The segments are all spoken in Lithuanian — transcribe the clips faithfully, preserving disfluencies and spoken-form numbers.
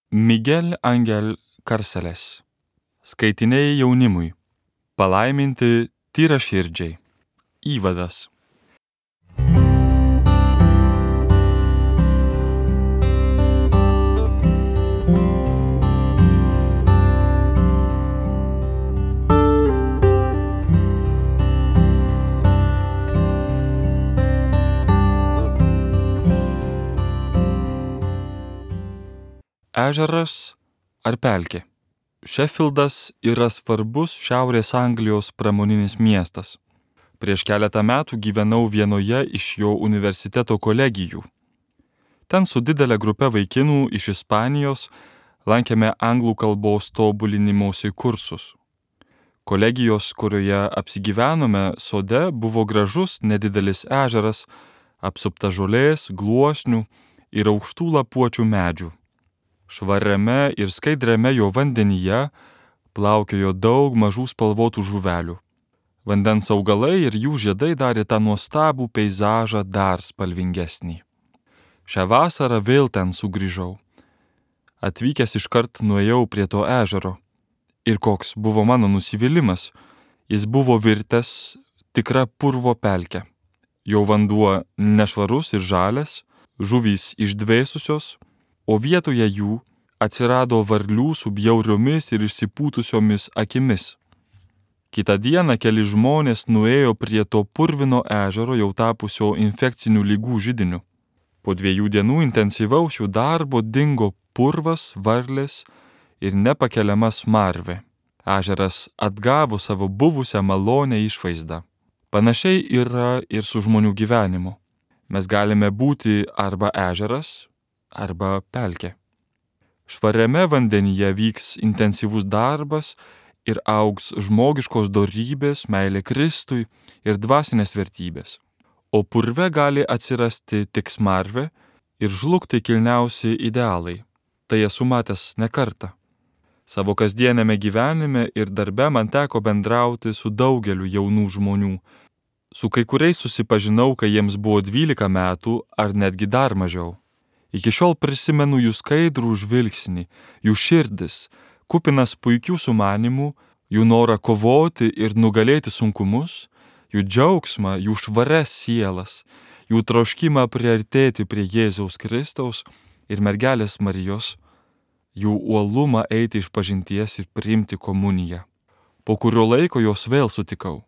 Miguel Angel Carceles. Skaitiniai jaunimui. Palaiminti tyraširdžiai. Įvadas. Ežeras ar pelkė? Šefildas yra svarbus Šiaurės Anglijos pramoninis miestas. Prieš keletą metų gyvenau vienoje iš jo universiteto kolegijų. Ten su didelė grupe vaikinų iš Ispanijos lankėme anglų kalbos tobulinimosi kursus. Kolegijos, kurioje apsigyvenome sode, buvo gražus nedidelis ežeras, apsuptas žolės, gluosnių ir aukštų lapuočių medžių. Švariame ir skaidriame jo vandenyje plaukiojo daug mažų spalvotų žuvelių. Vandens augalai ir jų žiedai darė tą nuostabų peizažą dar spalvingesnį. Šią vasarą vėl ten sugrįžau. Atvykęs iškart nuėjau prie to ežero. Ir koks buvo mano nusivylimas. Jis buvo virtęs tikra purvo pelkė. Jo vanduo nešvarus ir žalias, žuvys išdvėsusios, o vietoje jų atsirado varlių su bjauriomis ir išsipūtusiomis akimis. Kitą dieną keli žmonės nuėjo prie to purvino ežero jau tapusio infekcinių lygų židiniu. Po dviejų dienų intensyvaus jų darbo dingo purvas, varlės ir nepakeliama smarvė. Ežeras atgavo savo buvusią malonę išvaizdą. Panašiai yra ir su žmonių gyvenimu. Mes galime būti arba ežeras, arba pelkė. Švariame vandenyje vyks intensyvus darbas ir augs žmogiškos dorybės, meilė Kristui ir dvasinės vertybės. O purve gali atsirasti tik smarvė ir žlugti kilniausi idealai. Tai esu matęs ne kartą. Savo kasdienėme gyvenime ir darbe man teko bendrauti su daugeliu jaunų žmonių. Su kai kuriais susipažinau, kai jiems buvo dvylika metų ar netgi dar mažiau. Iki šiol prisimenu jų skaidrų žvilgsnį, jų širdis, kupinas puikių sumanimų, jų norą kovoti ir nugalėti sunkumus, jų džiaugsmą, jų švarias sielas, jų troškimą priartėti prie Jėzaus Kristaus ir mergelės Marijos, jų uolumą eiti išpažinties ir priimti komuniją. Po kurio laiko juos vėl sutikau.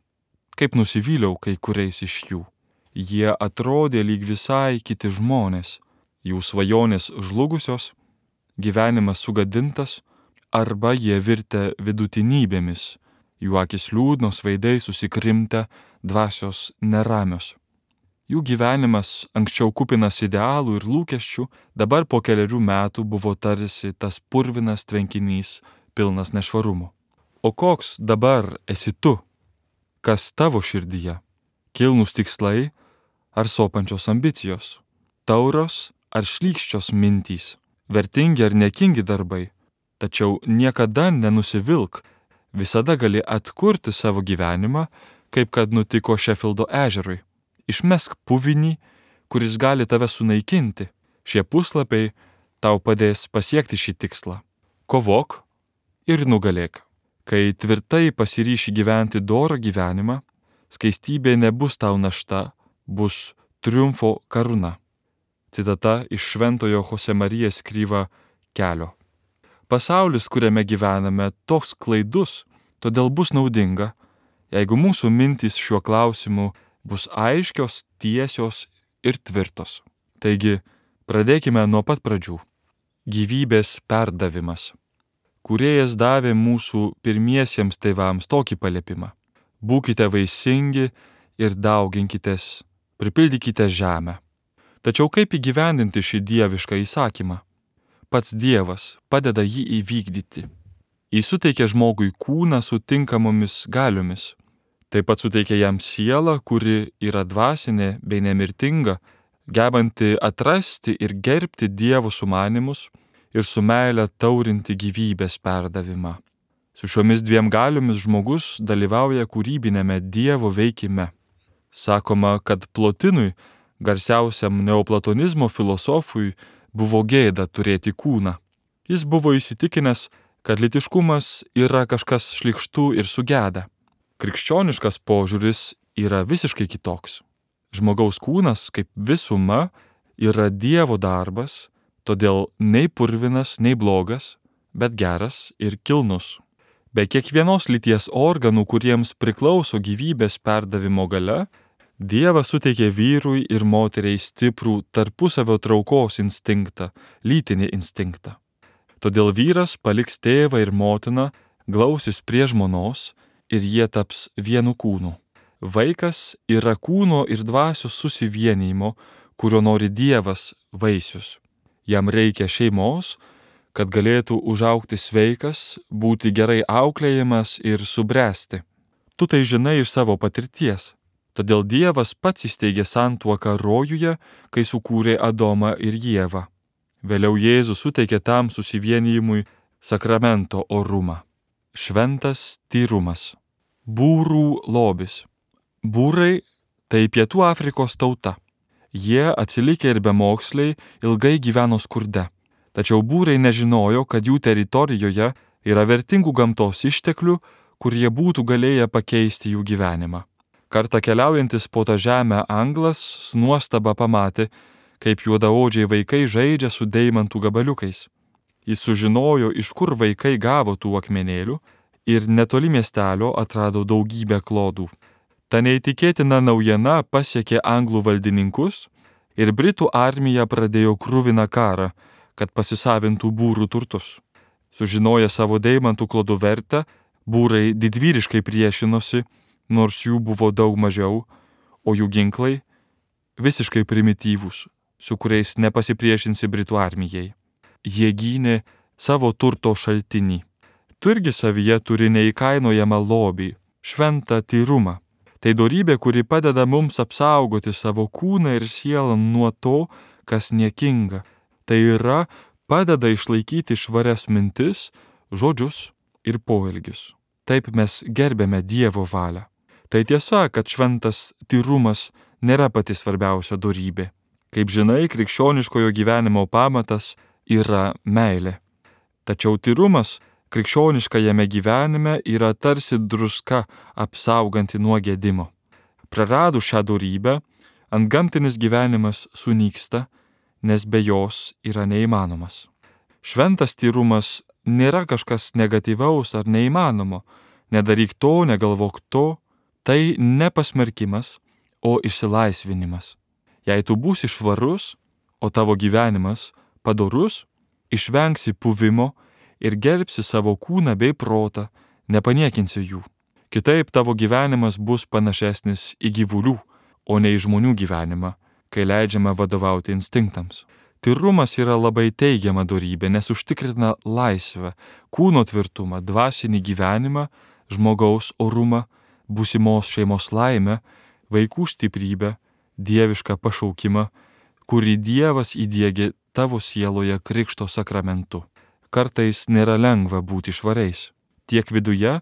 Kaip nusivyliau kai kuriais iš jų. Jie atrodė lyg visai kiti žmonės. Jų svajonės žlugusios, gyvenimas sugadintas, arba jie virtę vidutinybėmis, jų akis liūdnos, veidai susikrimtę, dvasios neramios. Jų gyvenimas anksčiau kupinas idealų ir lūkesčių, dabar po keliarių metų buvo tarsi tas purvinas tvenkinys, pilnas nešvarumo. O koks dabar esi tu? Kas tavo širdyje? Kilnūs tikslai ar sopančios ambicijos? Tauros ar šlykščios mintys, vertingi ar nekingi darbai, tačiau niekada nenusivilk, visada gali atkurti savo gyvenimą, kaip kad nutiko Šefildo ežerui. Išmesk puvinį, kuris gali tave sunaikinti. Šie puslapiai tau padės pasiekti šį tikslą. Kovok ir nugalėk. Kai tvirtai pasiryši gyventi dorą gyvenimą, skaistybė nebus tau našta, bus triumfo karūna. Citata iš Šventojo Josemarija Escriva kelio. Pasaulis, kuriame gyvename, toks klaidus, todėl bus naudinga, jeigu mūsų mintys šiuo klausimu bus aiškios, tiesios ir tvirtos. Taigi, pradėkime nuo pat pradžių. Gyvybės perdavimas. Kūrėjas davė mūsų pirmiesiems tėvams tokį paliepimą. Būkite vaisingi ir dauginkitės, pripildykite žemę. Tačiau kaip įgyvendinti šį dievišką įsakymą? Pats Dievas padeda jį įvykdyti. Jis suteikia žmogui kūną su tinkamomis galiomis. Taip pat suteikia jam sielą, kuri yra dvasinė bei nemirtinga, gebanti atrasti ir gerbti Dievo sumanimus ir su meile taurinti gyvybės perdavimą. Su šiomis dviem galiomis žmogus dalyvauja kūrybinėme Dievo veikime. Sakoma, kad Plotinui, garsiausiam neoplatonizmo filosofui, buvo gėda turėti kūną. Jis buvo įsitikinęs, kad lytiškumas yra kažkas šlykštu ir sugeda. Krikščioniškas požiūris yra visiškai kitoks. Žmogaus kūnas kaip visuma yra Dievo darbas, todėl nei purvinas, nei blogas, bet geras ir kilnus. Be kiekvienos lyties organų, kuriems priklauso gyvybės perdavimo galia, Dievas suteikė vyrui ir moteriai stiprų tarpusavio traukos instinktą, lytinį instinktą. Todėl vyras paliks tėvą ir motiną, glausis prie žmonos ir jie taps vienu kūnu. Vaikas yra kūno ir dvasios susivienijimo, kurio nori Dievas vaisius. Jam reikia šeimos, kad galėtų užaugti sveikas, būti gerai auklėjamas ir subręsti. Tu tai žinai iš savo patirties. Todėl Dievas pats įsteigė santuoką rojuje, kai sukūrė Adomą ir Ievą. Vėliau Jėzus suteikė tam susivienijimui sakramento orumą. Šventas tyrumas. Būrų lobis. Būrai tai Pietų Afrikos tauta. Jie atsilikę ir bemoksliai ilgai gyveno skurde. Tačiau būrai nežinojo, kad jų teritorijoje yra vertingų gamtos išteklių, kurie būtų galėję pakeisti jų gyvenimą. Kartą keliaujantis po tą žemę anglas su nuostaba pamatė, kaip juodaodžiai vaikai žaidžia su deimantų gabaliukais. Jis sužinojo, iš kur vaikai gavo tų akmenėlių ir netoli miestelio atrado daugybę klodų. Ta neįtikėtina naujiena pasiekė anglų valdininkus ir Britų armija pradėjo kruviną karą, kad pasisavintų būrų turtus. Sužinoję savo deimantų klodų vertę, būrai didvyriškai priešinosi, nors jų buvo daug mažiau, o jų ginklai visiškai primityvūs, su kuriais nepasipriešinsi Britų armijai. Jie gynė savo turto šaltinį. Tu irgi savyje turi neįkainojamą lobį, šventą tyrumą. Tai dorybė, kuri padeda mums apsaugoti savo kūną ir sielą nuo to, kas niekinga. Tai yra, padeda išlaikyti švarias mintis, žodžius ir poelgius. Taip mes gerbėme Dievo valią. Tai tiesa, kad šventas tyrumas nėra pati svarbiausia dorybė. Kaip žinai, krikščioniškojo gyvenimo pamatas yra meilė. Tačiau tyrumas krikščioniškajame gyvenime yra tarsi druska apsauganti nuo gedimo. Praradus šią dorybę, antgamtinis gyvenimas sunyksta, nes be jos yra neįmanomas. Šventas tyrumas nėra kažkas negatyvaus ar neįmanomo. Nedaryk to, negalvok to. Tai ne pasmerkimas, o išsilaisvinimas. Jei tu būsi švarus, o tavo gyvenimas padorus, išvengsi puvimo ir gerbsi savo kūną bei protą, nepaniekinsi jų. Kitaip tavo gyvenimas bus panašesnis į gyvulių, o ne į žmonių gyvenimą, kai leidžiama vadovauti instinktams. Tyrumas yra labai teigiama dorybė, nes užtikrina laisvę, kūno tvirtumą, dvasinį gyvenimą, žmogaus orumą, būsimos šeimos laimę, vaikų stiprybę, dievišką pašaukimą, kurį Dievas įdiegė tavo sieloje krikšto sakramentu. Kartais nėra lengva būti švariais. Tiek viduje,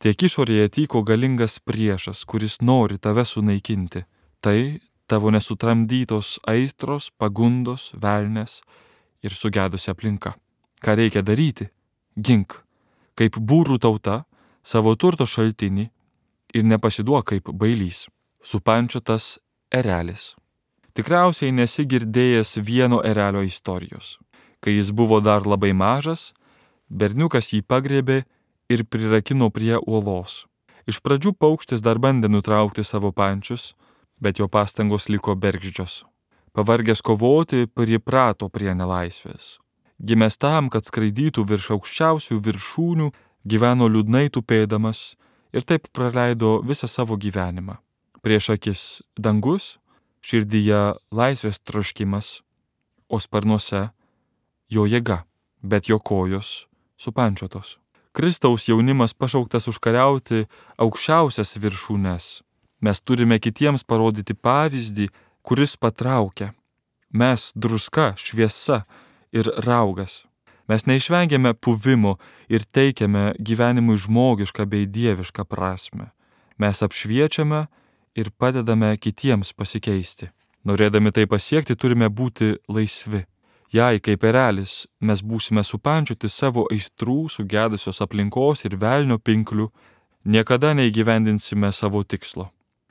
tiek išorėje tyko galingas priešas, kuris nori tave sunaikinti. Tai tavo nesutramdytos aistros, pagundos, velnės ir sugedusi aplinka. Ką reikia daryti? Gink, kaip būrų tauta, savo turto šaltinį ir nepasiduok kaip bailys. Supančiotas erelis. Tikriausiai nesi girdėjęs vieno erelio istorijos. Kai jis buvo dar labai mažas, berniukas jį pagriebė ir prirakino prie uolos. Iš pradžių paukštis dar bandė nutraukti savo pančius, bet jo pastangos liko bergždžios. Pavargęs kovoti, priprato prie nelaisvės. Gimęs tam, kad skraidytų virš aukščiausių viršūnių, gyveno liūdnai tupėdamas ir taip praleido visą savo gyvenimą. Prieš akis dangus, širdyje laisvės troškimas, o sparnuose jo jėga, bet jo kojos supančiotos. Kristaus jaunimas pašauktas užkariauti aukščiausias viršūnes. Mes turime kitiems parodyti pavyzdį, kuris patraukia. Mes druska, šviesa ir raugas. Mes neišvengiame puvimo ir teikiame gyvenimui žmogišką bei dievišką prasmę. Mes apšviečiame ir padedame kitiems pasikeisti. Norėdami tai pasiekti, turime būti laisvi. Jei kaip erelis mes būsime supančioti savo aistrų, sugedusios aplinkos ir velnio pinklių, niekada neįgyvendinsime savo tikslo.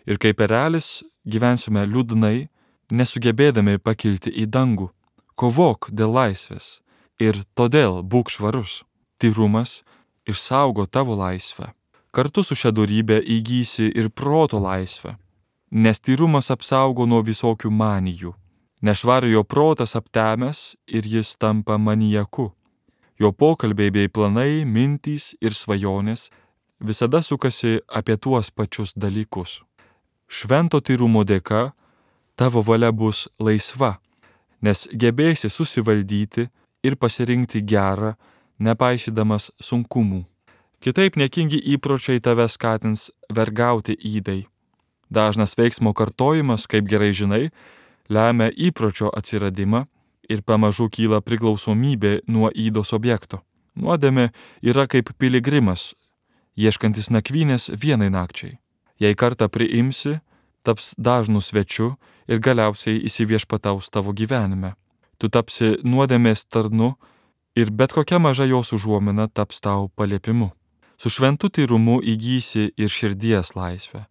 Ir kaip erelis gyvensime liūdnai, nesugebėdami pakilti į dangų. Kovok dėl laisvės ir todėl būk švarus. Tyrumas išsaugo tavo laisvę. Kartu su šia dorybė įgysi ir proto laisvę, nes tyrumas apsaugo nuo visokių manijų. Nešvariojo protas aptemęs ir jis tampa manijaku. Jo pokalbiai bei planai, mintys ir svajonės visada sukasi apie tuos pačius dalykus. Švento tyrumo dėka tavo valia bus laisva, nes gebėsi susivaldyti ir pasirinkti gerą, nepaisydamas sunkumų. Kitaip niekingi įpročiai tave skatins vergauti ydai. Dažnas veiksmo kartojimas, kaip gerai žinai, lemia įpročio atsiradimą ir pamažu kyla priklausomybė nuo ydos objekto. Nuodėmė yra kaip piligrimas, ieškantis nakvynės vienai nakčiai. Jei kartą priimsi, taps dažnu svečiu ir galiausiai įsiviešpataus tavo gyvenime. Tu tapsi nuodėmės tarnu ir bet kokia maža jos užuomina taps tau paliepimu. Su šventu tyrumu įgysi ir širdies laisvę.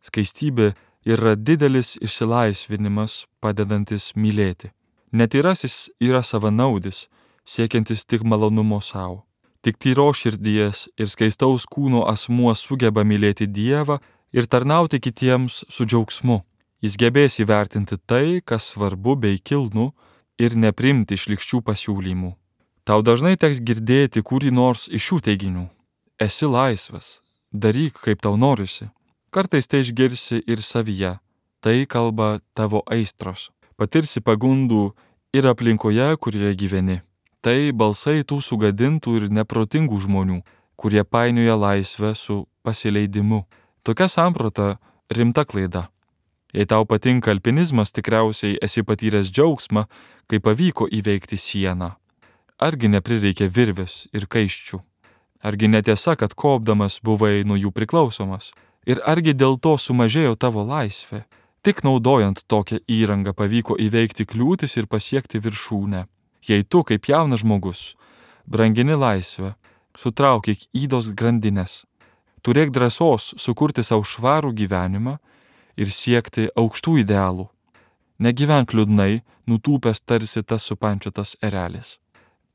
Skaistybė yra didelis išsilaisvinimas, padedantis mylėti. Netyrasis yra savanaudis, siekiantis tik malonumo savo. Tik tyros širdies ir skaistaus kūno asmuo sugeba mylėti Dievą ir tarnauti kitiems su džiaugsmu. Jis gebės įvertinti tai, kas svarbu bei kilnu, ir neprimti šlykščių pasiūlymų. Tau dažnai teks girdėti kurį nors iš šių teiginių. Esi laisvas, daryk kaip tau norisi. Kartais tai išgirsi ir savyje, tai kalba tavo aistros. Patirsi pagundų ir aplinkoje, kurioje gyveni. Tai balsai tų sugadintų ir neprotingų žmonių, kurie painioja laisvę su pasileidimu. Tokia samprata rimta klaida. Jei tau patinka alpinizmas, tikriausiai esi patyręs džiaugsmą, kai pavyko įveikti sieną. Argi neprireikė virvės ir kaiščių? Argi netiesa, kad kopdamas buvai nuo jų priklausomas? Ir argi dėl to sumažėjo tavo laisvė? Tik naudojant tokią įrangą pavyko įveikti kliūtis ir pasiekti viršūnę. Jei tu, kaip jaunas žmogus, brangini laisvę, sutraukyk ydos grandines. Turėk drąsos sukurti savo švarų gyvenimą ir siekti aukštų idealų. Negyvenk liūdnai, nutūpęs tarsi tas supančiotas erelis.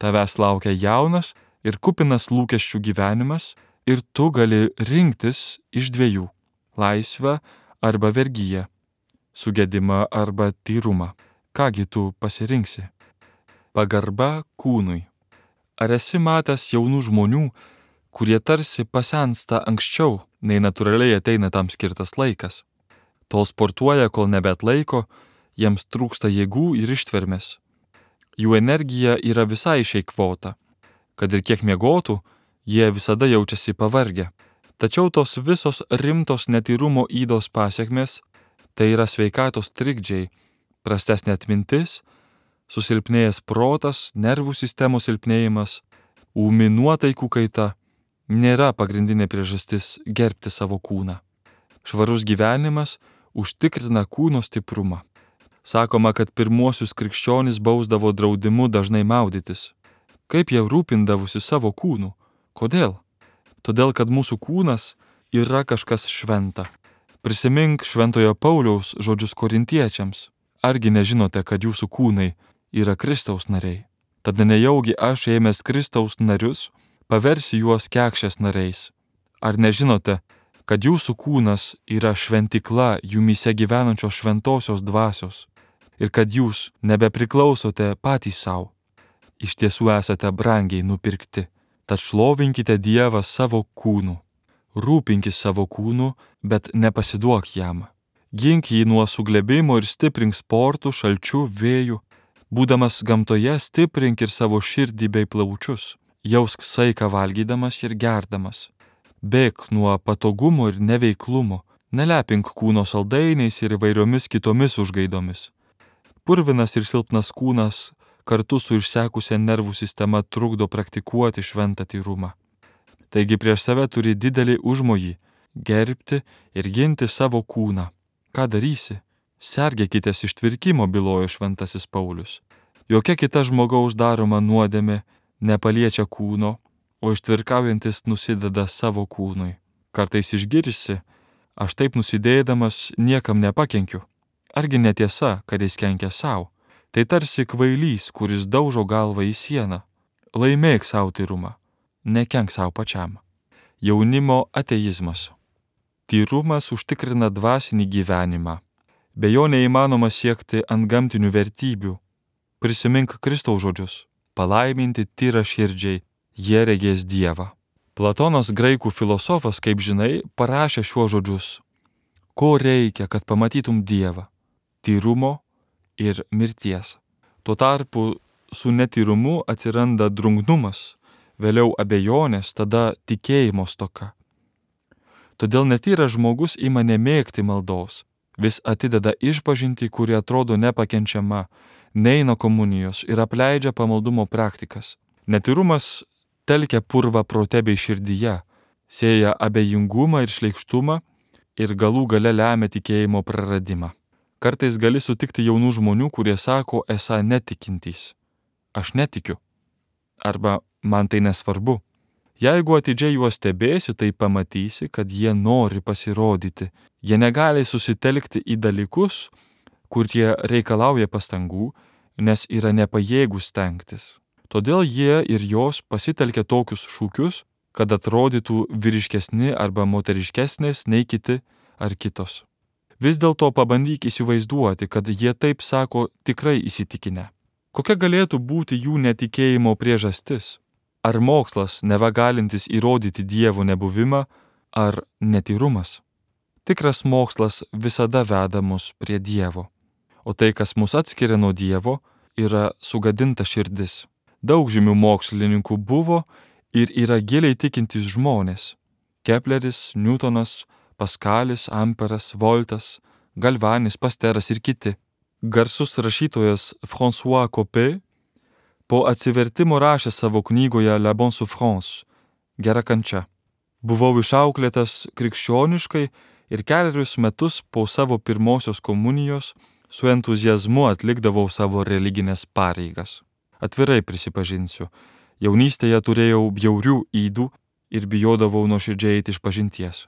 Tavęs laukia jaunas ir kupinas lūkesčių gyvenimas, ir tu gali rinktis iš dviejų – laisvę arba vergyją, sugedimą arba tyrumą. Kągi tu pasirinksi? Pagarba kūnui. Ar esi matęs jaunų žmonių, kurie tarsi pasensta anksčiau, nei natūraliai ateina tam skirtas laikas? Tol sportuoja, kol nebeatlaiko, jiems trūksta jėgų ir ištvermės. Jų energija yra visai išeikvota. Kad ir kiek miegotų, jie visada jaučiasi pavargę. Tačiau tos visos rimtos netyrumo ydos pasiekmės – tai yra sveikatos trikdžiai, prastesnė atmintis, susilpnėjęs protas, nervų sistemos silpnėjimas, ūmi nuotaikų kaita – nėra pagrindinė priežastis gerbti savo kūną. Švarus gyvenimas užtikrina kūno stiprumą. Sakoma, kad pirmuosius krikščionys bausdavo draudimu dažnai maudytis. Kaip jie rūpindavosi savo kūnu? Kodėl? Todėl, kad mūsų kūnas yra kažkas šventa. Prisimink šventojo Pauliaus žodžius korintiečiams. Argi nežinote, kad jūsų kūnai yra Kristaus nariai? Tada nejaugi aš ėmęs Kristaus narius, paversiu juos kekšės nariais. Ar nežinote, kad jūsų kūnas yra šventykla jumyse gyvenančios šventosios dvasios ir kad jūs nebepriklausote patys savo? Iš tiesų esate brangiai nupirkti, tad šlovinkite Dievą savo kūnu. Rūpinkis savo kūnu, bet nepasiduok jam. Gink jį nuo suglebimo ir stiprink sportų, šalčių, vėjų. Būdamas gamtoje, stiprink ir savo širdį bei plaučius. Jausk saiką valgydamas ir gerdamas. Bėk nuo patogumo ir neveiklumo. Nelepink kūno saldainiais ir įvairiomis kitomis užgaidomis. Purvinas ir silpnas kūnas kartu su išsekusia nervų sistema trukdo praktikuoti šventą tyrumą. Taigi prieš save turi didelį užmojį – gerbti ir ginti savo kūną. Ką darysi? Sergėkitės ištvirkimo, bylojo šventasis Paulius. Jokia kita žmogaus daroma nuodėmė nepaliečia kūno, o ištvirkaujantis nusideda savo kūnui. Kartais išgirsi, aš taip nusidėdamas niekam nepakenkiu. Argi netiesa, kad jis kenkia savo? Tai tarsi kvailys, kuris daužo galvą į sieną. Laimėk savo tyrumą, nekenk savo pačiam. Jaunimo ateizmas. Tyrumas užtikrina dvasinį gyvenimą. Be jo neįmanoma siekti antgamtinių vertybių. Prisimink Kristaus žodžius. Palaiminti tyra širdžiai, jie regės Dievą. Platonas, graikų filosofas, kaip žinai, parašė šiuos žodžius. Ko reikia, kad pamatytum Dievą? Tyrumo ir mirties. Tuo tarpu su netyrumu atsiranda drungnumas, vėliau abejonės, tada tikėjimo stoka. Todėl netyras žmogus ima nemėgti maldos, vis atideda išpažintį, kuri atrodo nepakenčiama, neina komunijos ir apleidžia pamaldumo praktikas. Netyrumas telkia purvą prote bei širdyje, sėja abejingumą ir šleikštumą ir galų gale lemia tikėjimo praradimą. Kartais gali sutikti jaunų žmonių, kurie sako, esą netikintys. Aš netikiu. Arba man tai nesvarbu. Jeigu atidžiai juos stebėsi, tai pamatysi, kad jie nori pasirodyti. Jie negali susitelkti į dalykus, kurie reikalauja pastangų, nes yra nepajėgūs stengtis. Todėl jie ir jos pasitelkia tokius šūkius, kad atrodytų vyriškesni arba moteriškesnės nei kiti ar kitos. Vis dėlto pabandyk įsivaizduoti, kad jie taip sako tikrai įsitikinę. Kokia galėtų būti jų netikėjimo priežastis? Ar mokslas, neva galintis įrodyti Dievo nebuvimą, ar netyrumas? Tikras mokslas visada veda mus prie Dievo. O tai, kas mus atskiria nuo Dievo, yra sugadinta širdis. Daug žymių mokslininkų buvo ir yra giliai tikintys žmonės. Kepleris, Newtonas, Paskalis, Amperas, Voltas, Galvanis, Pasteras ir kiti. Garsus rašytojas François Coppée po atsivertimo rašė savo knygoje La bonne souffrance, gera kančia. Buvau išauklėtas krikščioniškai ir keliarius metus po savo pirmosios komunijos su entuziazmu atlikdavau savo religinės pareigas. Atvirai prisipažinsiu, jaunystėje turėjau bjaurių ydų ir bijodavau nuoširdžiai eiti išpažinties.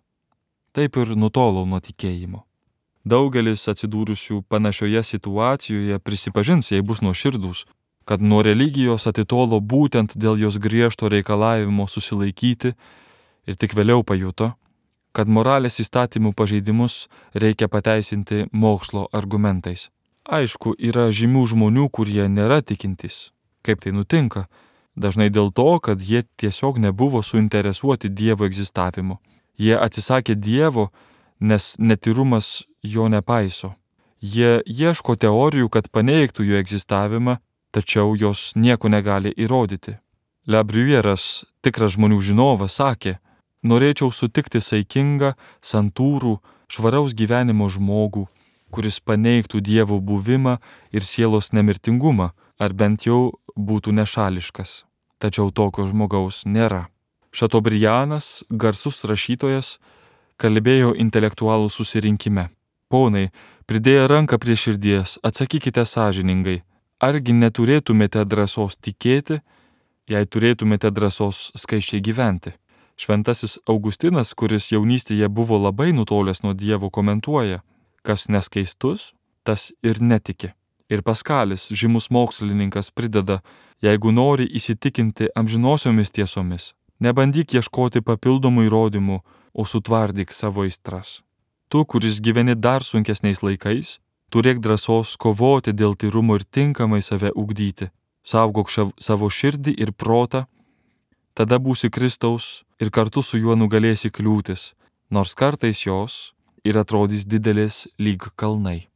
Taip ir nutolau nuo tikėjimo. Daugelis atsidūrusių panašioje situacijoje prisipažins, jei bus nuoširdūs, kad nuo religijos atitolo būtent dėl jos griežto reikalavimo susilaikyti ir tik vėliau pajuto, kad moralės įstatymų pažeidimus reikia pateisinti mokslo argumentais. Aišku, yra žymių žmonių, kurie nėra tikintys. Kaip tai nutinka? Dažnai dėl to, kad jie tiesiog nebuvo suinteresuoti Dievo egzistavimu. Jie atsisakė Dievo, nes netyrumas jo nepaiso. Jie ieško teorijų, kad paneigtų jo egzistavimą, tačiau jos nieko negali įrodyti. Le Bruyèras, tikras žmonių žinovas, sakė, norėčiau sutikti saikingą, santūrų, švaraus gyvenimo žmogų, kuris paneigtų Dievo buvimą ir sielos nemirtingumą, ar bent jau būtų nešališkas. Tačiau tokio žmogaus nėra. Šatobrianas, garsus rašytojas, kalbėjo intelektualų susirinkime. Ponai, pridėję ranką prie širdies, atsakykite sąžiningai, argi neturėtumėte drąsos tikėti, jei turėtumėte drąsos skaisčiai gyventi. Šventasis Augustinas, kuris jaunystėje buvo labai nutolęs nuo Dievo, komentuoja, kas neskaistus, tas ir netiki. Ir Paskalis, žymus mokslininkas, prideda, jeigu nori įsitikinti amžinosiomis tiesomis, nebandyk ieškoti papildomų įrodymų, o sutvardyk savo aistras. Tu, kuris gyveni dar sunkesniais laikais, turėk drąsos kovoti dėl tyrumo ir tinkamai save ugdyti. Saugok šav, savo širdį ir protą, tada būsi Kristaus ir kartu su juo nugalėsi kliūtis, nors kartais jos ir atrodys didelės lyg kalnai.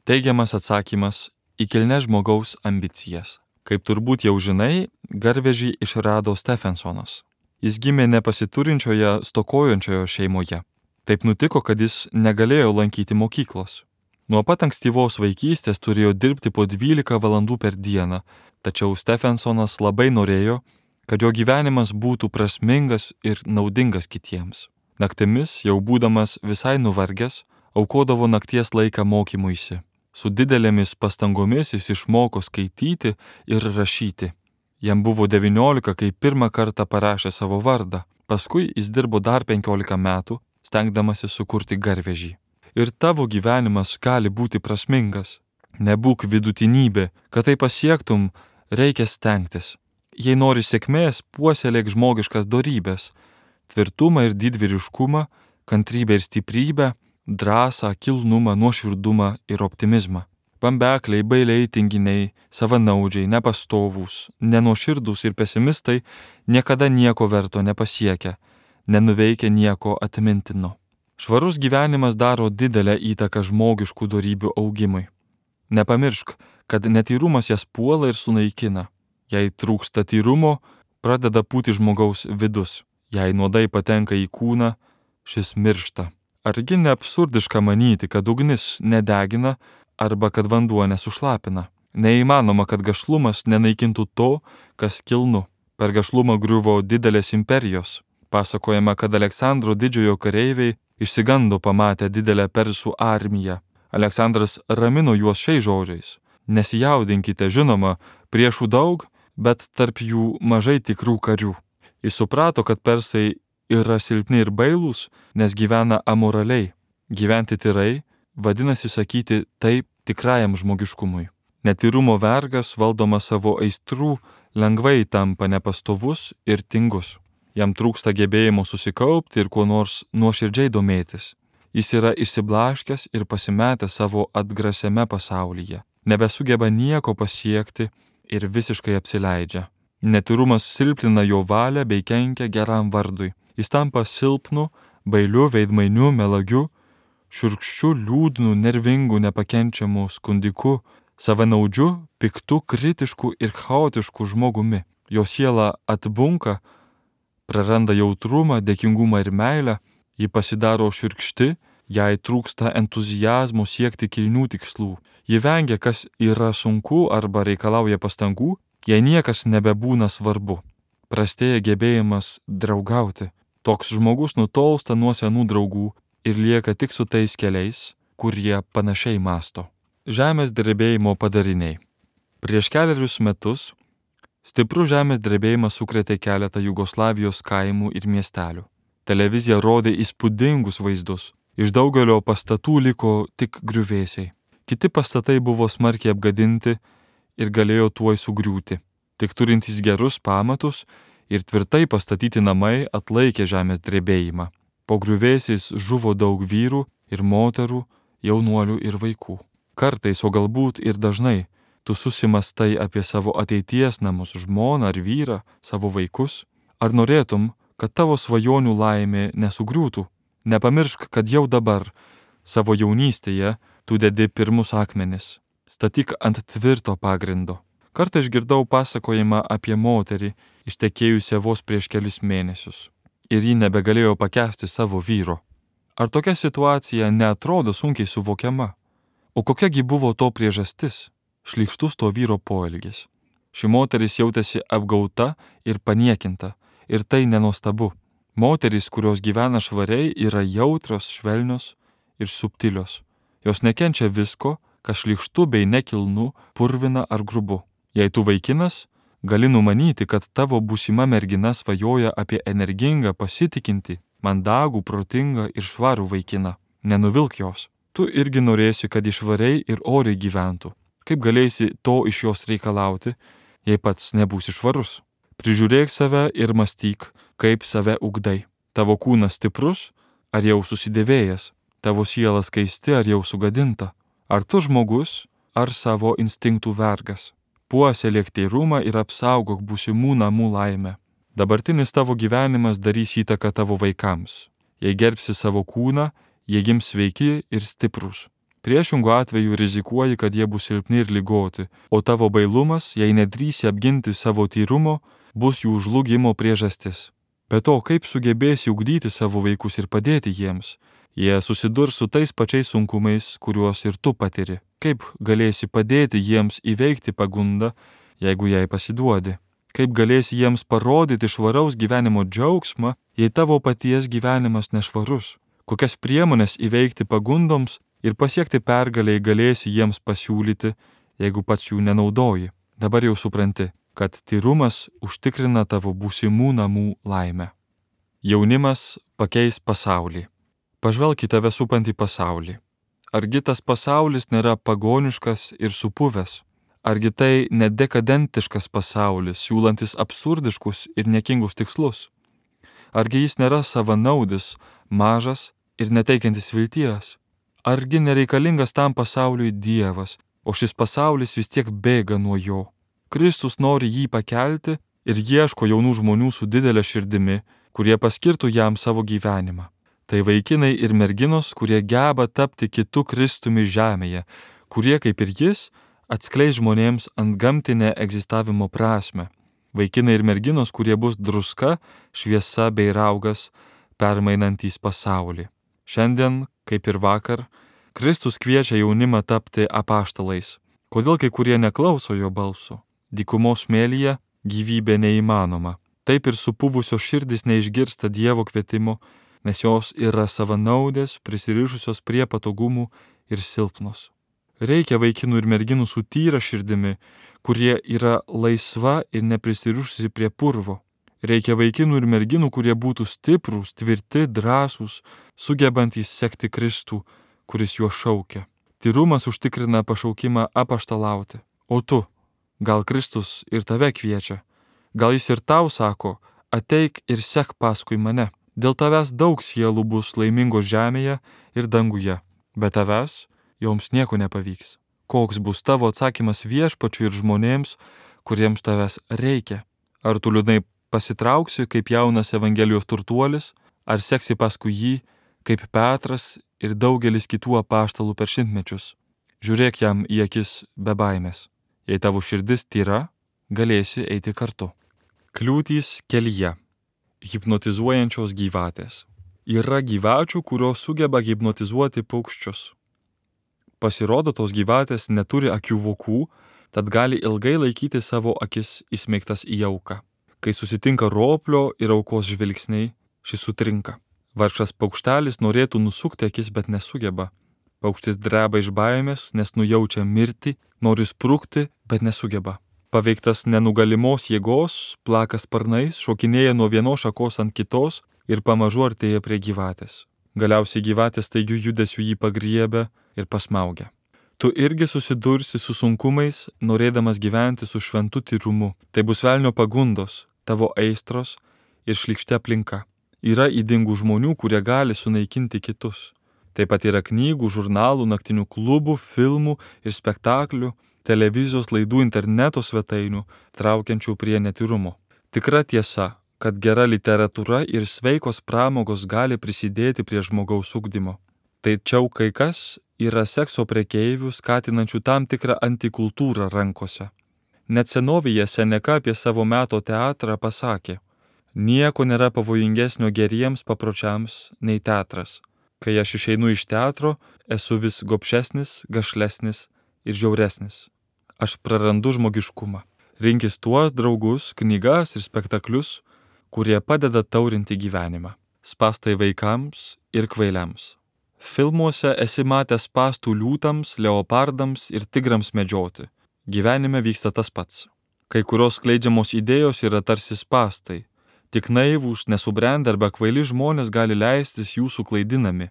Teigiamas atsakymas į kilnes žmogaus ambicijas. Kaip turbūt jau žinai, garvežį išrado Stephensonas. Jis gimė nepasiturinčioje, stokojančioje šeimoje. Taip nutiko, kad jis negalėjo lankyti mokyklos. Nuo pat ankstyvos vaikystės turėjo dirbti po dvylika valandų per dieną, tačiau Stephensonas labai norėjo, kad jo gyvenimas būtų prasmingas ir naudingas kitiems. Naktimis, jau būdamas visai nuvargęs, aukodavo nakties laiką mokymuisi. Su didelėmis pastangomis jis išmoko skaityti ir rašyti. Jam buvo devyniolika, kai pirmą kartą parašė savo vardą. Paskui jis dirbo dar penkiolika metų, stengdamasi sukurti garvežį. Ir tavo gyvenimas gali būti prasmingas. Nebūk vidutinybė, kad tai pasiektum, reikia stengtis. Jei nori sėkmės, puoselėk žmogiškas dorybės, tvirtumą ir didvyriškumą, kantrybę ir stiprybę, drąsą, kilnumą, nuoširdumą ir optimizmą. Bambekliai, bailiai, tinginiai, savanaudžiai, nepastovūs, nenuoširdūs ir pesimistai niekada nieko verto nepasiekia, nenuveikia nieko atmintino. Švarus gyvenimas daro didelę įtaką žmogiškų dorybių augimui. Nepamiršk, kad netyrumas jas puola ir sunaikina. Jei trūksta tyrumo, pradeda pūti žmogaus vidus. Jei nuodai patenka į kūną, šis miršta. Argi ne absurdiška manyti, kad ugnis nedegina arba kad vanduo nesušlapina? Neįmanoma, kad gašlumas nenaikintų to, kas kilnu. Per gašlumą griuvo didelės imperijos. Pasakojama, kad Aleksandro didžiojo kareiviai išsigando pamatę didelę persų armiją. Aleksandras ramino juos šiais žodžiais: nesijaudinkite, žinoma, priešų daug, bet tarp jų mažai tikrų karių. Jis suprato, kad persai yra silpni ir bailūs, nes gyvena amoraliai. Gyventi tyrai vadinasi sakyti taip tikrajam žmogiškumui. Netyrumo vergas, valdomas savo aistrų, lengvai tampa nepastovus ir tingus. Jam trūksta gebėjimo susikaupti ir kuo nors nuoširdžiai domėtis. Jis yra išsiblaškęs ir pasimetęs savo atgrasiame pasaulyje. Nebesugeba nieko pasiekti ir visiškai apsileidžia. Netyrumas silpnina jo valią bei kenkia geram vardui. Jis tampa silpnu, bailiu, veidmainiu, melagiu, šiurkščiu, liūdnu, nervingu, nepakenčiamu, skundiku, savanaudžiu, piktu, kritišku ir chaotišku žmogumi. Jo siela atbunka, praranda jautrumą, dėkingumą ir meilę, ji pasidaro šiurkšti, jai trūksta entuzijazmo siekti kilnių tikslų. Ji vengia, kas yra sunku arba reikalauja pastangų, jei niekas nebebūna svarbu. Prastėja gebėjimas draugauti. Toks žmogus nutolsta nuo senų draugų ir lieka tik su tais keliais, kurie panašiai masto. Žemės drebėjimo padariniai. Prieš keliarius metus stiprus žemės drebėjimas sukrėtė keletą Jugoslavijos kaimų ir miestelių. Televizija rodė įspūdingus vaizdus. Iš daugelio pastatų liko tik griuvėsiai. Kiti pastatai buvo smarkiai apgadinti ir galėjo tuoj sugriūti. Tik turintys gerus pamatus ir tvirtai pastatyti namai atlaikė žemės drebėjimą. Po griuvėsiais žuvo daug vyrų ir moterų, jaunuolių ir vaikų. Kartais, o galbūt ir dažnai, tu susimastai apie savo ateities namus, žmoną ar vyrą, savo vaikus. Ar norėtum, kad tavo svajonių laimė nesugriūtų? Nepamiršk, kad jau dabar, savo jaunystėje, tu dedi pirmus akmenis. Statyk ant tvirto pagrindo. Kartą išgirdau pasakojimą apie moterį, ištekėjusią vos prieš kelis mėnesius. Ir ji nebegalėjo pakęsti savo vyro. Ar tokia situacija neatrodo sunkiai suvokiama? O kokiagi buvo to priežastis? Šlykštus to vyro poelgis. Ši moteris jautėsi apgauta ir paniekinta. Ir tai nenuostabu. Moterys, kurios gyvena švariai, yra jautrios, švelnios ir subtilios. Jos nekenčia visko, kas šlykštu bei nekilnu, purvina ar grubu. Jei tu vaikinas, gali numanyti, kad tavo būsima mergina svajoja apie energingą, pasitikinti, mandagų, protingą ir švarų vaikiną. Nenuvilk jos. Tu irgi norėsi, kad išvariai ir oriai gyventų. Kaip galėsi to iš jos reikalauti, jei pats nebūsi švarus? Prižiūrėk save ir mąstyk, kaip save ugdai. Tavo kūnas stiprus, ar jau susidėvėjęs? Tavo siela skaisti, ar jau sugadinta? Ar tu žmogus, ar savo instinktų vergas? Puoselėk teirumą ir apsaugok būsimų namų laimę. Dabartinis tavo gyvenimas darys įtaką tavo vaikams. Jei gerbsi savo kūną, jie gims sveiki ir stiprus. Priešingų atveju rizikuoji, kad jie bus silpni ir ligoti, o tavo bailumas, jei nedrįsi apginti savo tyrumo, bus jų žlugimo priežastis. Be to, kaip sugebėsi ugdyti savo vaikus ir padėti jiems? Jie susidurs su tais pačiais sunkumais, kuriuos ir tu patiri. Kaip galėsi padėti jiems įveikti pagundą, jeigu jai pasiduodi? Kaip galėsi jiems parodyti švaraus gyvenimo džiaugsmą, jei tavo paties gyvenimas nešvarus? Kokias priemonės įveikti pagundoms ir pasiekti pergalę galėsi jiems pasiūlyti, jeigu pats jų nenaudoji. Dabar jau supranti, kad tyrumas užtikrina tavo būsimų namų laimę. Jaunimas pakeis pasaulį. Pažvelk į tave supantį pasaulį. Argi tas pasaulis nėra pagoniškas ir supuvęs? Argi tai nedekadentiškas pasaulis, siūlantis absurdiškus ir niekingus tikslus? Argi jis nėra savanaudis, mažas ir neteikiantis vilties? Argi nereikalingas tam pasauliui Dievas, o šis pasaulis vis tiek bėga nuo jo? Kristus nori jį pakelti ir ieško jaunų žmonių su didelė širdimi, kurie paskirtų jam savo gyvenimą. Tai vaikinai ir merginos, kurie geba tapti kitu Kristumi žemėje, kurie, kaip ir jis, atskleis žmonėms antgamtinę egzistavimo prasme. Vaikinai ir merginos, kurie bus druska, šviesa bei raugas, permainantys pasaulį. Šiandien, kaip ir vakar, Kristus kviečia jaunimą tapti apaštalais. Kodėl kai kurie neklauso jo balso? Dykumos smėlyje gyvybė neįmanoma. Taip ir supuvusios širdys neišgirsta Dievo kvietimo, nes jos yra savanaudės, prisirišusios prie patogumų ir silpnos. Reikia vaikinų ir merginų su tyra širdimi, kurie yra laisva ir neprisirišusi prie purvo. Reikia vaikinų ir merginų, kurie būtų stiprūs, tvirti, drąsūs, sugebantys sekti Kristų, kuris juos šaukia. Tyrumas užtikrina pašaukimą apaštalauti. O tu, gal Kristus ir tave kviečia? Gal jis ir tau sako, ateik ir sek paskui mane? Dėl tavęs daug sielų bus laimingos žemėje ir danguje, bet tavęs joms nieko nepavyks. Koks bus tavo atsakymas Viešpačiui ir žmonėms, kuriems tavęs reikia? Ar tu liūdnai pasitrauksi kaip jaunas Evangelijos turtuolis, ar seksi paskui jį kaip Petras ir daugelis kitų apaštalų per šimtmečius? Žiūrėk jam į akis be baimės. Jei tavo širdis tyra, galėsi eiti kartu. Kliūtys kelyje. Hipnotizuojančios gyvatės. Yra gyvačių, kurios sugeba hipnotizuoti paukščius. Pasirodo, tos gyvatės neturi akių vokų, tad gali ilgai laikyti savo akis įsmeigtas į auką. Kai susitinka roplio ir aukos žvilgsniai, šis sutrinka. Vargšas paukštelis norėtų nusukti akis, bet nesugeba. Paukštis dreba iš baimės, nes nujaučia mirtį, nori sprukti, bet nesugeba. Paveiktas nenugalimos jėgos, plaka sparnais, šokinėja nuo vienos šakos ant kitos ir pamažu artėja prie gyvatės. Galiausiai gyvatės staigių judesių jį pagriebia ir pasmaugia. Tu irgi susidursi su sunkumais, norėdamas gyventi su šventu tyrumu. Tai bus velnio pagundos, tavo aistros ir šlykšti aplinka. Yra ydingų žmonių, kurie gali sunaikinti kitus. Taip pat yra knygų, žurnalų, naktinių klubų, filmų ir spektaklių, televizijos laidų, interneto svetainių, traukiančių prie netyrumo. Tikra tiesa, kad gera literatūra ir sveikos pramogos gali prisidėti prie žmogaus ugdymo. Tačiau kai kas yra sekso prekeivių, skatinančių tam tikrą antikultūrą rankose. Net senovėje Seneka apie savo meto teatrą pasakė: nieko nėra pavojingesnio geriems papročiams nei teatras. Kai aš išeinu iš teatro, esu vis gobšesnis, gašlesnis ir žiauresnis. Aš prarandu žmogiškumą. Rinkis tuos draugus, knygas ir spektaklius, kurie padeda taurinti gyvenimą. Spąstai vaikams ir kvailiams. Filmuose esi matęs spąstų liūtams, leopardams ir tigrams medžioti. Gyvenime vyksta tas pats. Kai kurios skleidžiamos idėjos yra tarsi spąstai. Tik naivūs, nesubrendę arba kvaili žmonės gali leistis jūsų klaidinami.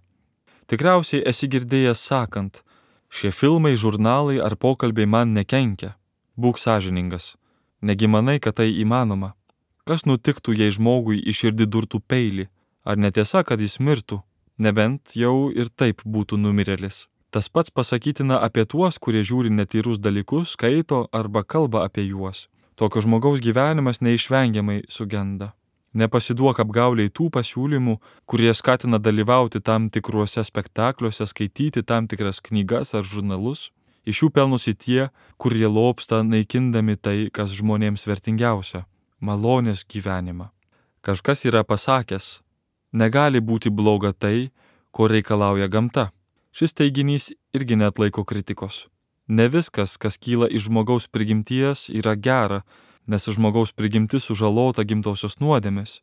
Tikriausiai esi girdėjęs sakant: šie filmai, žurnalai ar pokalbiai man nekenkia. Būk sąžiningas. Negi manai, kad tai įmanoma? Kas nutiktų, jei žmogui į širdį durtų peilį? Ar netiesa, kad jis mirtų? Nebent jau ir taip būtų numirėlis. Tas pats pasakytina apie tuos, kurie žiūri netyrus dalykus, skaito arba kalba apie juos. Tokio žmogaus gyvenimas neišvengiamai sugenda. Nepasiduok apgauliai tų pasiūlymų, kurie skatina dalyvauti tam tikruose spektakliuose, skaityti tam tikras knygas ar žurnalus. Iš jų pelnosi tie, kurie lobsta naikindami tai, kas žmonėms vertingiausia – malonės gyvenimą. Kažkas yra pasakęs: negali būti bloga tai, ko reikalauja gamta. Šis teiginys irgi neatlaiko kritikos. Ne viskas, kas kyla iš žmogaus prigimties, yra gera, nes žmogaus prigimtis sužalota gimtosios nuodėmės.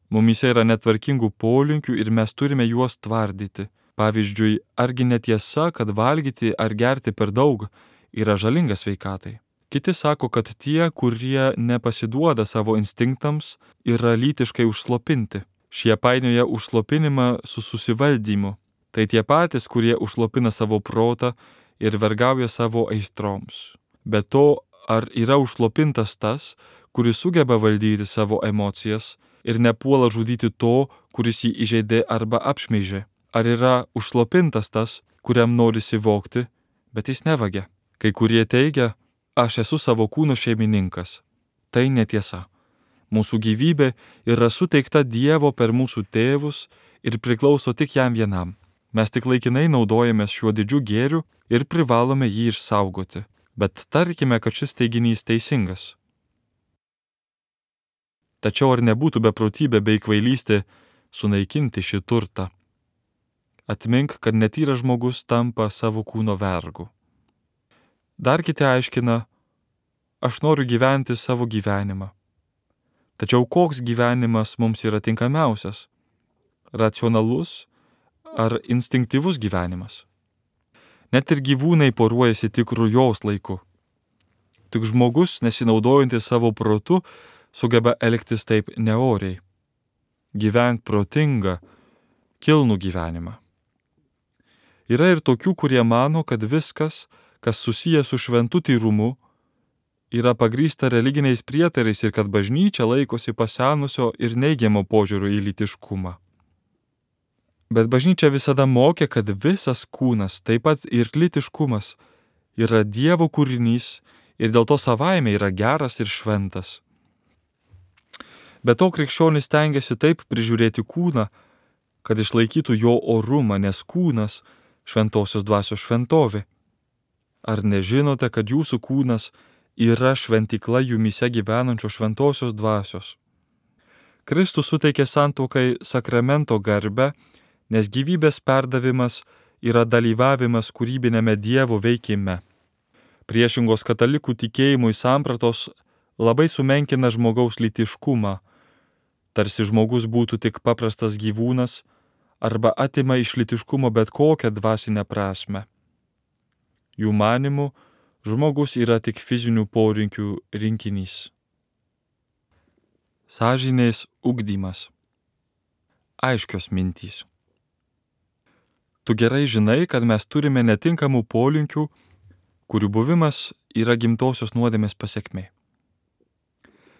Mumyse yra netvarkingų polinkių ir mes turime juos tvardyti. Pavyzdžiui, argi netiesa, kad valgyti ar gerti per daug yra žalinga sveikatai? Kiti sako, kad tie, kurie nepasiduoda savo instinktams, yra lytiškai užslopinti. Šie painioja užslopinimą su susivaldymu. Tai tie patys, kurie užslopina savo protą ir vergauja savo aistroms. Be to, ar yra užslopintas tas, kuris sugeba valdyti savo emocijas ir nepuola žudyti to, kuris jį įžeidė arba apšmeižė? Ar yra užslopintas tas, kuriam norisi vogti, bet jis nevagia? Kai kurie teigia, aš esu savo kūno šeimininkas. Tai netiesa. Mūsų gyvybė yra suteikta Dievo per mūsų tėvus ir priklauso tik jam vienam. Mes tik laikinai naudojamės šiuo didžiu gėriu ir privalome jį išsaugoti. Bet tarkime, kad šis teiginys teisingas. Tačiau ar nebūtų beprotybė bei kvailystė sunaikinti šį turtą? Atmink, kad netyras žmogus tampa savo kūno vergu. Dar kiti aiškina, aš noriu gyventi savo gyvenimą. Tačiau koks gyvenimas mums yra tinkamiausias? Racionalus ar instinktyvus gyvenimas? Net ir gyvūnai poruojasi tik rujos laiku. Tik žmogus, nesinaudojantis savo protu, sugeba elgtis taip neoriai. Gyvenk protingą, kilnų gyvenimą. Yra ir tokių, kurie mano, kad viskas, kas susiję su šventu tyrumu, yra pagrįsta religiniais prietarais ir kad bažnyčia laikosi pasenusio ir neigiamo požiūrio į lytiškumą. Bet bažnyčia visada mokė, kad visas kūnas, taip pat ir lytiškumas, yra Dievo kūrinys ir dėl to savaime yra geras ir šventas. Be to krikščionis stengiasi taip prižiūrėti kūną, kad išlaikytų jo orumą, nes kūnas šventosios dvasios šventovė. Ar nežinote, kad jūsų kūnas yra šventykla jumyse gyvenančios šventosios dvasios? Kristus suteikė santuokai sakramento garbę, nes gyvybės perdavimas yra dalyvavimas kūrybinėme Dievo veikime. Priešingos katalikų tikėjimui sampratos labai sumenkina žmogaus lytiškumą, tarsi žmogus būtų tik paprastas gyvūnas arba atima iš lytiškumo bet kokią dvasinę prasmę. Jų manymu, žmogus yra tik fizinių porinkių rinkinys. Sąžinės ugdymas. Aiškios mintys. Tu gerai žinai, kad mes turime netinkamų polinkių, kurių buvimas yra gimtosios nuodėmės pasekmė.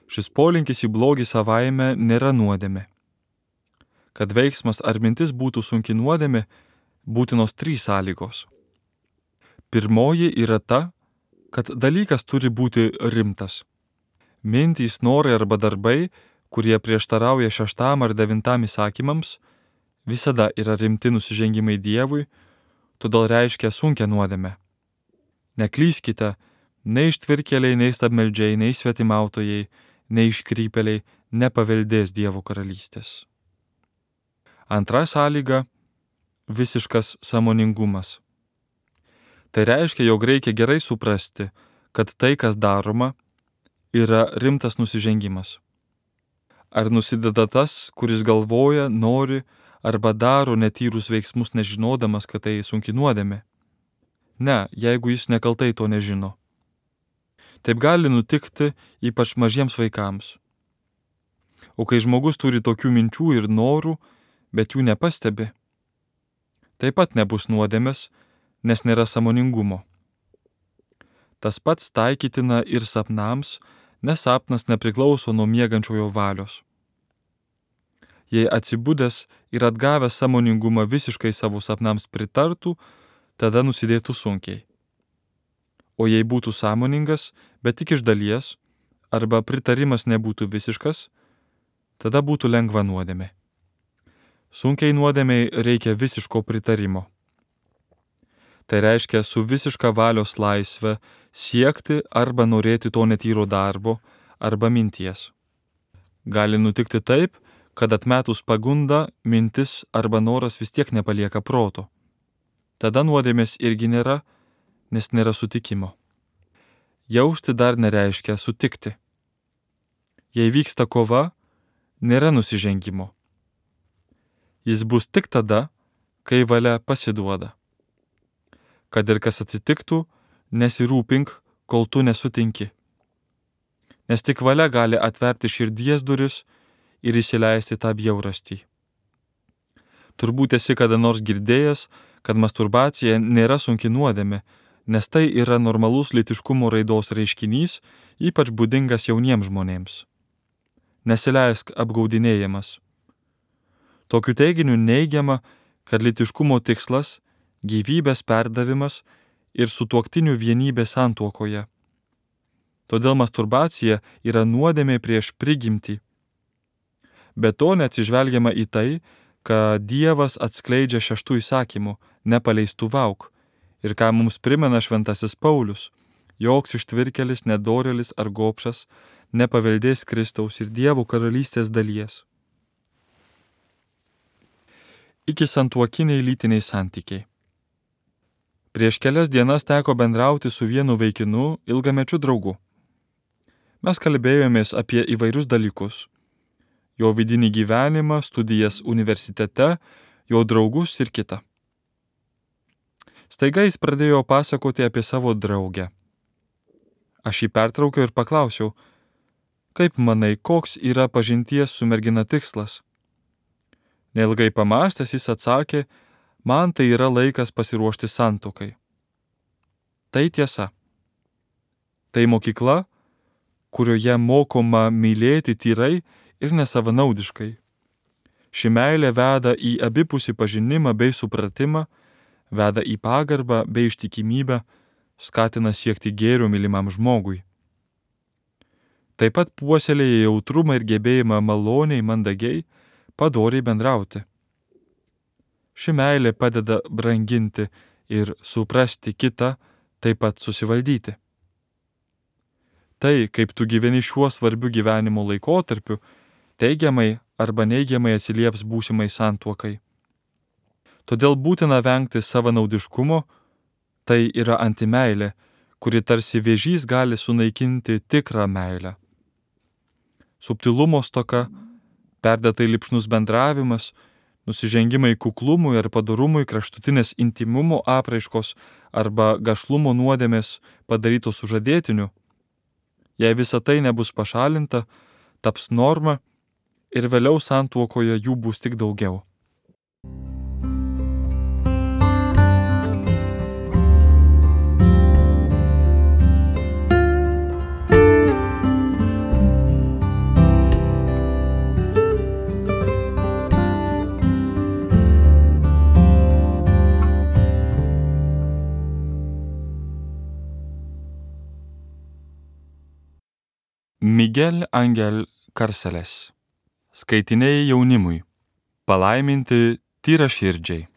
Šis polinkis į blogį savaime nėra nuodėmė. Kad veiksmas ar mintis būtų sunki nuodėmė, būtinos trys sąlygos. Pirmoji yra ta, kad dalykas turi būti rimtas. Mintys, norai arba darbai, kurie prieštarauja šeštam ar devintam įsakymams, visada yra rimti nusižengimai Dievui, todėl reiškia sunkią nuodėmę. Neklyskite, nei ištvirkėliai, nei stabmeldžiai, nei svetimautojai, nei iškrypėliai nepaveldės Dievo karalystės. Antra sąlyga – visiškas sąmoningumas. Tai reiškia, jog reikia gerai suprasti, kad tai, kas daroma, yra rimtas nusižengimas. Ar nusideda tas, kuris galvoja, nori arba daro netyrus veiksmus nežinodamas, kad tai sunki nuodėmė? Ne, jeigu jis nekaltai to nežino. Taip gali nutikti ypač mažiems vaikams. O kai žmogus turi tokių minčių ir norų, bet jų nepastebi, taip pat nebus nuodėmės, nes nėra sąmoningumo. Tas pats taikytina ir sapnams, nes sapnas nepriklauso nuo miegančiojo valios. Jei atsibudęs ir atgavęs sąmoningumą visiškai savo sapnams pritartų, tada nusidėtų sunkiai. O jei būtų sąmoningas, bet tik iš dalies, arba pritarimas nebūtų visiškas, tada būtų lengva nuodėmė. Sunkiai nuodėmei reikia visiško pritarimo. Tai reiškia su visiška valios laisve siekti arba norėti to netyro darbo arba minties. Gali nutikti taip, kad atmetus pagundą, mintis arba noras vis tiek nepalieka proto. Tada nuodėmės irgi nėra, nes nėra sutikimo. Jausti dar nereiškia sutikti. Jei vyksta kova, nėra nusižengimo. Jis bus tik tada, kai valia pasiduoda. Kad ir kas atsitiktų, nesirūpink, kol tu nesutinki. Nes tik valia gali atverti širdies duris ir įsileisti tą bjaurastį. Turbūt esi kada nors girdėjęs, kad masturbacija nėra sunki nuodėmė, nes tai yra normalus lytiškumo raidos reiškinys, ypač būdingas jauniems žmonėms. Nesileisk apgaudinėjamas. Tokiu teiginiu neigiama, kad lytiškumo tikslas – gyvybės perdavimas ir sutuoktinių vienybė santuokoje. Todėl masturbacija yra nuodėmė prieš prigimtį. Be to neatsižvelgiama į tai, kad Dievas atskleidžia šeštų įsakymų – nepaleistuvauk, ir ką mums primena šventasis Paulius, joks ištvirkelis, nedorėlis ar gobšas nepaveldės Kristaus ir Dievo karalystės dalies. Iki santuokiniai lytiniai santykiai. Prieš kelias dienas teko bendrauti su vienu vaikinu, ilgamečiu draugu. Mes kalbėjomės apie įvairius dalykus. Jo vidinį gyvenimą, studijas universitete, jo draugus ir kitą. Staiga jis pradėjo pasakoti apie savo draugę. Aš jį pertraukiau ir paklausiau, kaip manai, koks yra pažinties su mergina tikslas? Neilgai pamąstęs jis atsakė, man tai yra laikas pasiruošti santuokai. Tai tiesa. Tai mokykla, kurioje mokoma mylėti tyrai ir nesavanaudiškai. Ši meilė veda į abipusį pažinimą bei supratimą, veda į pagarbą bei ištikimybę, skatina siekti gėrio mylimam žmogui. Taip pat puoselėja jautrumą ir gebėjimą maloniai, mandagiai, padoriai bendrauti. Ši meilė padeda branginti ir suprasti kitą, taip pat susivaldyti. Tai, kaip tu gyveni šiuo svarbiu gyvenimo laikotarpiu, teigiamai arba neigiamai atsilieps būsimai santuokai. Todėl būtina vengti savanaudiškumo, tai yra antimeilė, kuri tarsi vėžys gali sunaikinti tikrą meilę. Subtilumo stoka, perdėtai lipšnus bendravimas, nusižengimai kuklumui ar padorumui, kraštutinės intimumo apraiškos arba gašlumo nuodėmės padarytos sužadėtiniu, jei visa tai nebus pašalinta, taps norma ir vėliau santuokoje jų bus tik daugiau. Miguel Angel Carceles. Skaitiniai jaunimui. Palaiminti tyraširdžiai.